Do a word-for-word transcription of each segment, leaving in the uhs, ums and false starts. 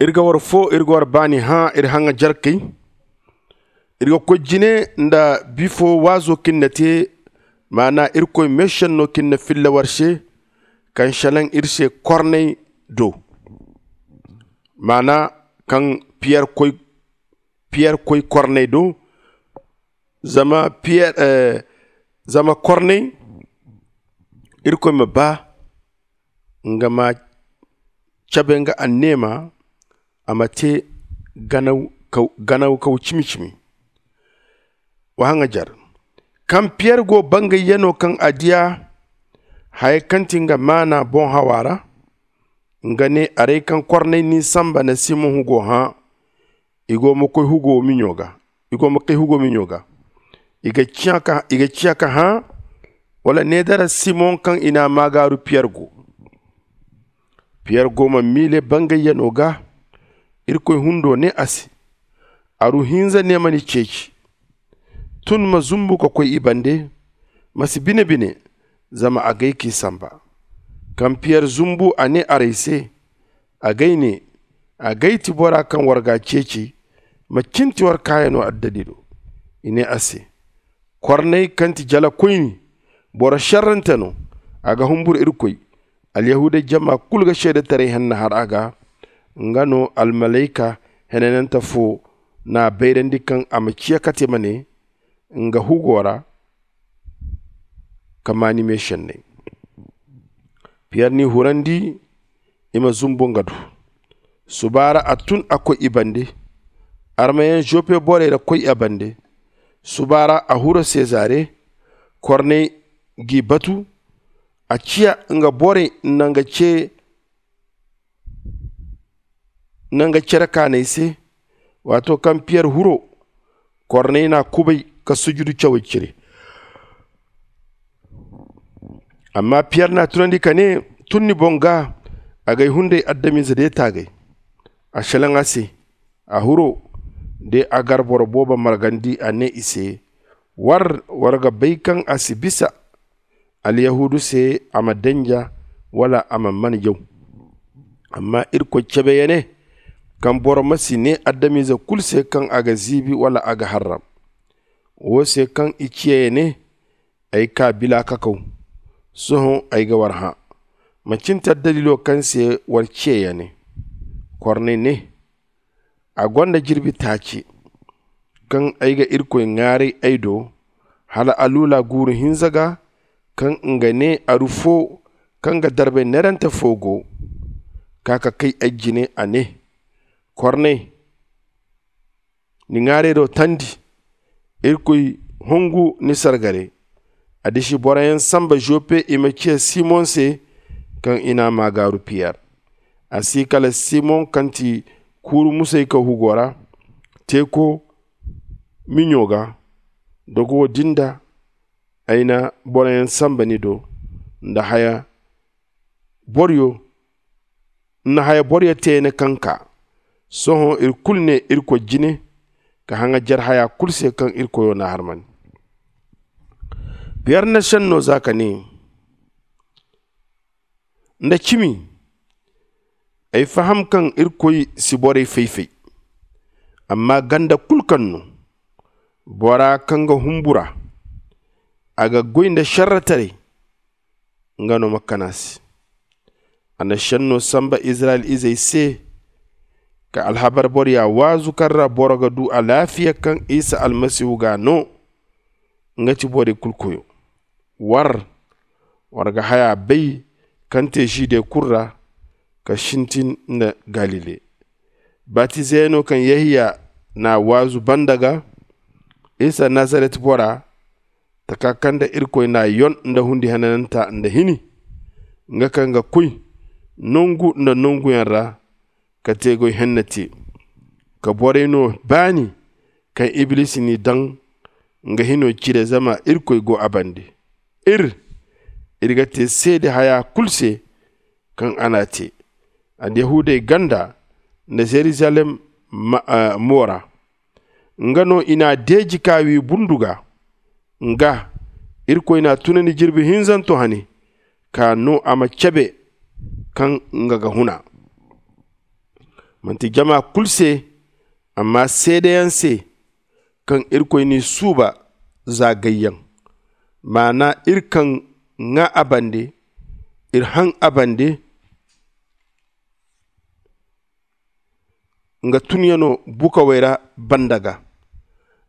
Iri ga war fo, iri ga war baani hã, iri haŋajarkey. Iri ga koy jine nda bifo waazo kaŋ iri na te, maana irkoy meesenno kaŋ iri na filla war se, kaŋ selaŋ iri se korney do. Maana kaŋ piyer koy piyer koy korney do. Zama piyer zama korney, irkoy ma ba nga ma cabe nga anneema, a ma te ganaw kaw cimi-cimi. Wa haŋajar kaŋ piyer go bangayyanoo kaŋ a diya haya kaŋ ti nga maana boŋ hawa ra. Nga ne, arey kaŋ korney n'i sanba nda simon hugo hã, i go ma koy hugo miɲo ga. I go ma kay hugo miɲo ga. I ga ciya ka hã wala ne dara simon kaŋ i n'a maagaaru piyer go. Piyer go ma miile bangayyanoo ga. Irkoy hundo ne a se, aru hinza ne ma ni ceeci. Tun ma zumbu ka koy i bande. Ma si bine-bine, zama agay k'i sanba. Kaŋ piyer zumbu a ne arey se, agay ne, agay ti bora kaŋ war ga a ceeci. Ma cinti war kaayano addalilo. I ne a se, korney kaŋ ti jalakoyni, boro šerrante no. A ga humbur irkoy. Alyahuuda jama kulu ga seedetaray henna har a ga. Nga no almalayka henanante fo n'a bayrandi kaŋ a ma ciya kate ma ne nga hugo ra, ka maani meesenney. Piyer n'i hurandi i ma zumbu nga do. Suba ra a tun a koy i bande. Armayaŋ joppe borey ra koy a bande. Suba ra a huru sezare. Korney g'i batu. A ciya nga borey nda nga ce nda nga cere kaanay se. Waato kaŋ piyer huro, korney n'a kubay ka sujudu cawey cire. Amma piyer n'a tunandi ka ne, tun ni boŋ ga. Agay hunday adamize de taagay. A selaŋ a se. A huro de a gar boro boobo margandi a ne i se, war war ga bay kaŋ a si bisa alyahuudu se a ma danja wala a ma mana jaw. Amma irkoy cabe ya ne, kaŋ boro ma si ne adamize kulu se kaŋ a ga ziibi wala a ga harram. Wo se kaŋ i ciya ya ne, ay kaa bila kakaw. Sohõ ay ga war hã. Macin te addalilo kaŋ se war ciya ya ne. Korney ne, a gonda jirbi taaci kaŋ ay ga irkoy ŋwaaray ay do, hala aluula guuru hinza ga kaŋ nga ne aru fo kaŋ ga darbay neerante fo go. Ka ka kay ay jine a ne, korney, ni ŋwaarayro tandi. Irkoy hongu ni sargare. A disi boroyaŋ samba joppe i ma ciya simon se, kaŋ i n'a maagaaru piyer. A si kala simon kaŋ ti kuuru musayka hugo ra, teeko miɲo ga. Dogo wo din da ay na boroyaŋ samba ni do nda haya boryo nda haya boryo teene kaŋ kaa. Sohõ iri kulu ne irkoy jine ka haŋajer haya kulu se kaŋ irkoyo n'a harmandi. Piyer na senno za ka ne, nda cimi, ay faham kaŋ irkoy si borey fay-fay. Amma ganda kulu kaŋ no bora kaŋ ga humbura, a ga goy nda šerretaray, nga no ma kana se. A na šenno samba izirayel izey se, ka alhabar boroya waazu kaŋ ra boro ga du alaafiya kaŋ isa almasihu ga no. Nga ti borey kulu koyo. War war ga haya bay kaŋ te žide kulu ra, ka sintin nda galile. Batizeyaŋo kaŋ yehiya n'a waazu banda ga, isa nazaret bora, taka kaŋ nda irkoy n'a yon nda hundi henananta nda hini, nga kaŋ ga koy nongu nda nonguyaŋ ra ka te goy henne te, ka borey no baani kaŋ iblisi n'i daŋ nga hino cire zama irkoy go a bande. Ir ir ga te seede haya kulu se kaŋ a n'a te, alyahuudey ganda nda zerizalem mo ra. Nga no i n'a deeji ka wi bundu ga. Nga irkoy n'a tunandi jirbi hinzanto hane, ka no a ma cabe kaŋ nga ga huna. manti jama kulu se, amma seedeyaŋ se kaŋ irkoy n'i suuba za gayyaŋ, maana iri kaŋ ŋaa a bande, iri haŋ a bande nga tunyano bukawey ra banda ga.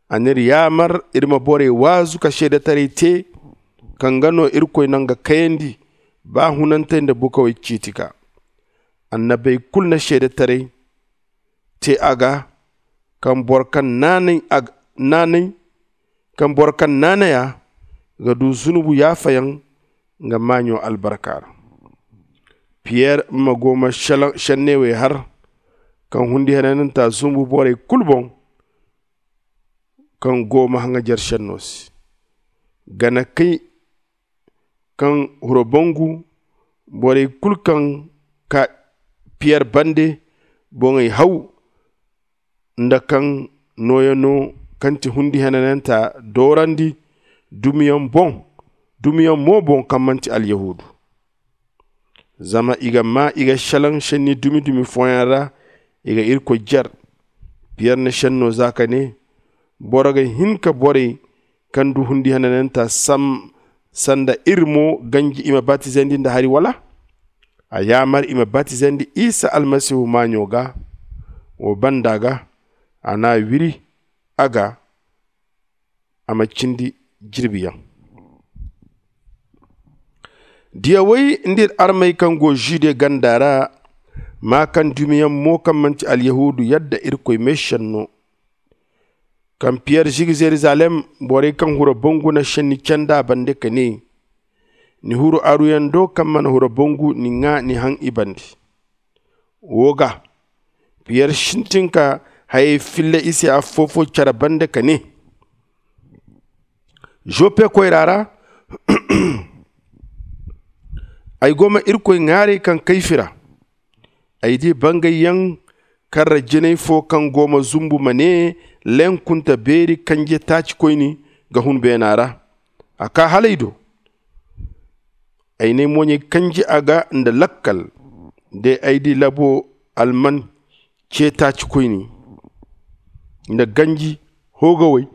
A n'iri yaamar iri ma borey waazu ka seedetaray te kaŋ ga no irkoy naŋ ga kayandi ba hunantey nda bukawey ciiti ga. Annabey kulu na seedetaray te a ga kaŋ boro kaŋ naanay a ga naanay kaŋ boro kaŋ naanay a ga du zunubu yaafayaŋ nga maaɲo albarka ra. Piyer ma go ma šenneewey har kaŋ hundi henananta zumbu borey kulu boŋ kaŋ go ma haŋajer šenno se. Gana kay kaŋ huro bangu borey kulu kaŋ ka piyer bande boŋey haw nda kaŋ nooyano kaŋ ti hundi henananta doorandi dumiyaŋ boŋ dumiyaŋ mo boŋ kaŋ manti alyahuudu. Zama i ga maa i ga šelaŋ šenni dumi dumi fooyaŋ ra i ga irkoy jer. Piyer na šenno za ka ne, boro ga hin ka borey kaŋ du hundi henananta sanda iri mo ganji i ma batizandi nda hari wala? A yaamar i ma batizandi isa almasihu maaɲo ga. Wo banda ga a n'a wiri a ga a ma cindi jirbiyaŋ. Diyawey nda iri armey kaŋ go žude ganda ra maa kaŋ dumiyaŋ mo kaŋ manti alyahuudu yadda irkoy meešenno. Kaŋ piyer zigi zerizalem, borey kaŋ huro bangu na šenni candi a bande ka ne, ni huru aruyaŋ do kaŋ mana huro bangu ni ŋaa ni haŋ i bande. Wo ga piyer sintin ka hayey filla i se affoofo care bande ka ne, žoppe koyra ra ay go ma irkoy ŋaaray kaŋ kayfi ra. Ay di bangayyaŋ karra jinay fo kaŋ go ma zumbu ma ne, lenkunta beeri kanje taacikoyni ga hun beena ra. A kaa hala ay do. Ay n'ay moɲey kanji a ga nda lakkal. De ay di labo alman ceetaacikoyni nda ganji hoogawey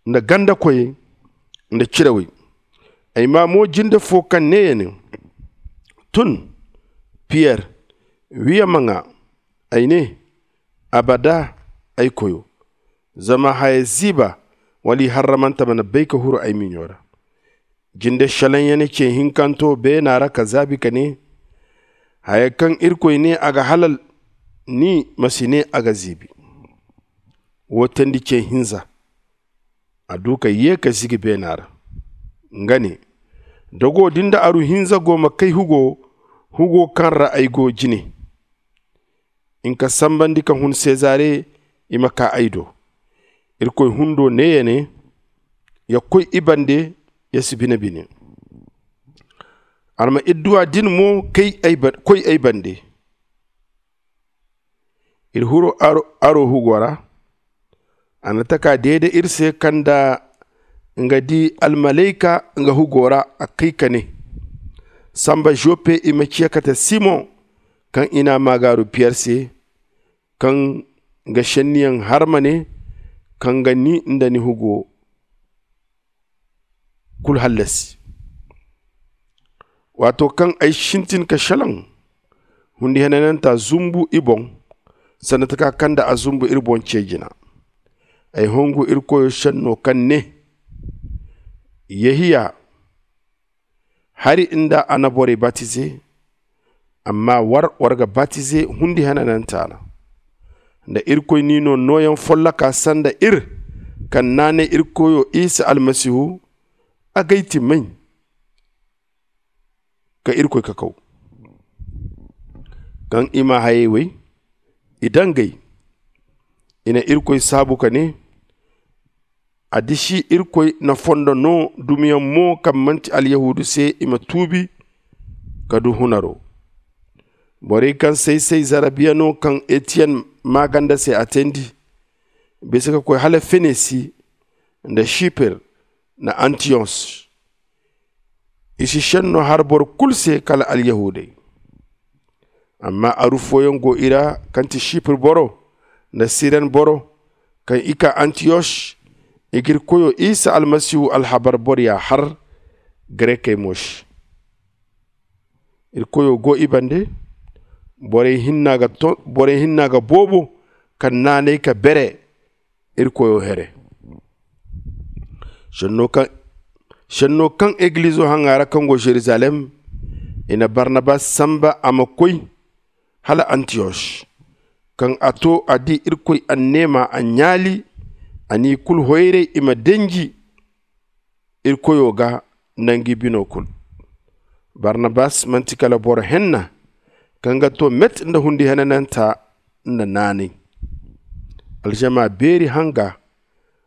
nda gandakoyey nda cirawey. Ay maa mo jinde fo kaŋ ne ya ne, tun, piyer, wi a ma ŋaa. Ay ne, abada, ay koyo. Zama haya ziiba wala iharramante mana bay ka huru ay miɲo ra. Jinde šelaŋ ya ne ce hinkanto beena ra ka zaabi ka ne, haya kaŋ irkoy ne a ga halal ni ma si ne a ga ziibi. Wo teendi ce hinza a du ka ye ka zigi beena ra. Nga ne, dogo din da aru hinza go ma kay hugo hugo kaŋ ra ay go jine. Nga sambandi ka hun sezare i ma kaa ay do. Irkoy hundo ne ya ne, ya koy i bande, ya si bine bine. Arma idduwa din mo koy ay bande. Iri huru aro hugo ra. A na taka deede iri se kaŋ nda nga di almalayka nga hugo ra a kay ka ne, samba joppe i ma ciya kate simon kaŋ i n'a maagaaru piyer se, kaŋ ga šenniyaŋ har ma ne, kaŋ ga ni nda ni hugo kulu hallasi. Waato kaŋ ay sintin ka šelaŋ, hundi henananta zumbu i boŋ, sanda taka kaŋ nda a zumbu iri boŋ ce jina. Ay hongu iri koyo šenno kaŋ ne, yehiya hari nda a na borey batize. Amma war war ga batize hundi henananta ra, nda irkoy n'i no nooyaŋ folloka sanda iri kaŋ naanay iri koyo isa almasihu. A g'ay ti may ka irkoy kakaw kaŋ i ma hayey wey i dangay. I na irkoy saabu ka ne, a disi irkoy na fondo no dumiyaŋ mo kaŋ manti alyahuudu se i ma tuubi ka du hunaro. Borey kaŋ say-say zarabiya no kaŋ etiyen maaganda se a teendi, bisa ka koy hala fenesi nda siper nda antiyos. I si šenno har boro kulu se kala alyahuudey. Amma aru fooyaŋ go i ra, kaŋ ti sipir boro nda siren boro, kaŋ i kaa antiyos. I ga irkoyo isa almasihu alhabar boroya har garekey mo se. Irkoyo go i bande. Borey hinna ga boobo kaŋ naanay ka bere irkoyo here. Senno kaŋ egilizo haŋa ra kaŋ go zerizalem, i na barnabas samba a ma koy hala antiyos. Kaŋ a to a di irkoy anneema a ɲaali, a n'i kulu hoyray i ma denji irkoyo ga nda ngi bino kulu. Barnabas manti kala boro henna kaŋ ga to met nda hundi henananta nda naanay. Alžama beeri hanga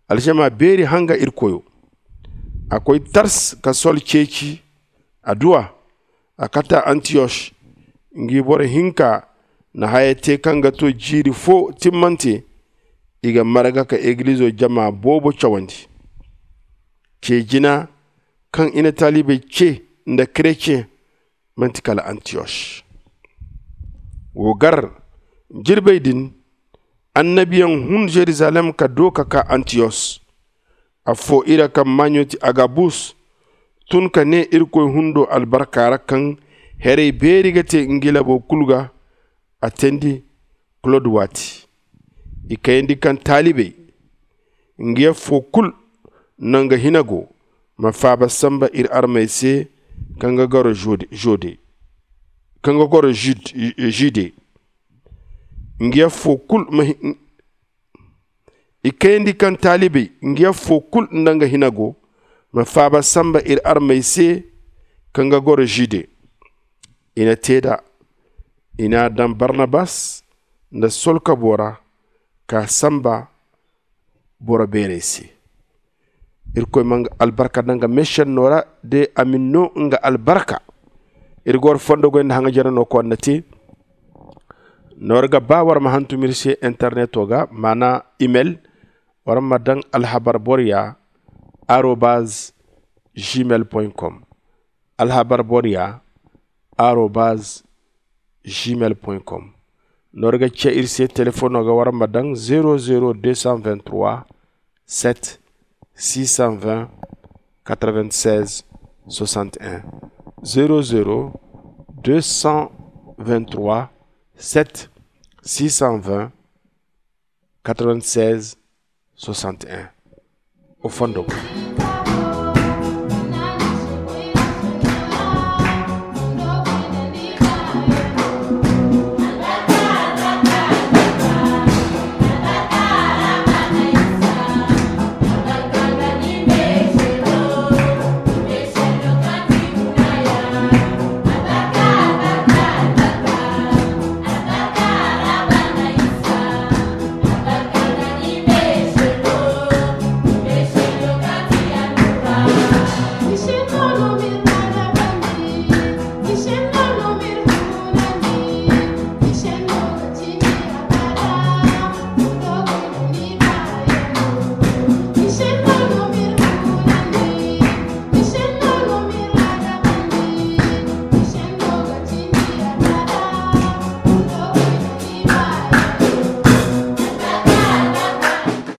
alžama beeri hanga irkoyo. A koy tars ka sol ceeci adduwa. A kata antiyos. Ngi boro hinka na haya te kaŋ ga to jiiri fo timmante. I ga marga ka egilizo jama boobo cawandi. Ce jina kaŋ i na taalibey ce nda kretiyeŋ manti kala antiyos. Wo gar jirbey din, annabiyaŋ hun zerizalem ka doo ka kaa antiyos. Affoo i ra kaŋ maaɲo ti agabus tun ka nee irkoy hundo albarka ra kaŋ herey beeri ga te ngi labo kulu ga. A teendi klod waati. I kayandi kaŋ taalibey ngi affoo kulu nda nga hina go ma faaba samba ir armey se kaŋ ga goro žude. Ngi affoo kulu ma i kayandi kaŋ taalibey ngi affoo kulu nda nga hina go ma faaba samba ir armey se kaŋ ga goro žude. I na te nd'a. I n'a daŋ barnabas nda sol kabo ra ka samba boro beerey se. Irkoy ma nga albarka daŋ nga meesenno ra de a ma ni no nga albarka. Iri ga war fondo goy nda haŋajerano kaŋ war na te. Noor ga ba war ma hantum iri se interneto ga maana imel. War ma daŋ alhabar boroya arobaz gmail com. Alhabar boroya arobaz gmail com. Noor ga ce iri se telefono ga war ma daŋ zero zero deux cent vingt trois sept six cent vingt quatre vingt seize soixante et un. Zero zero deux cent vingt trois sept six cent vingt quatre vingt seize soixante et un. O fondo.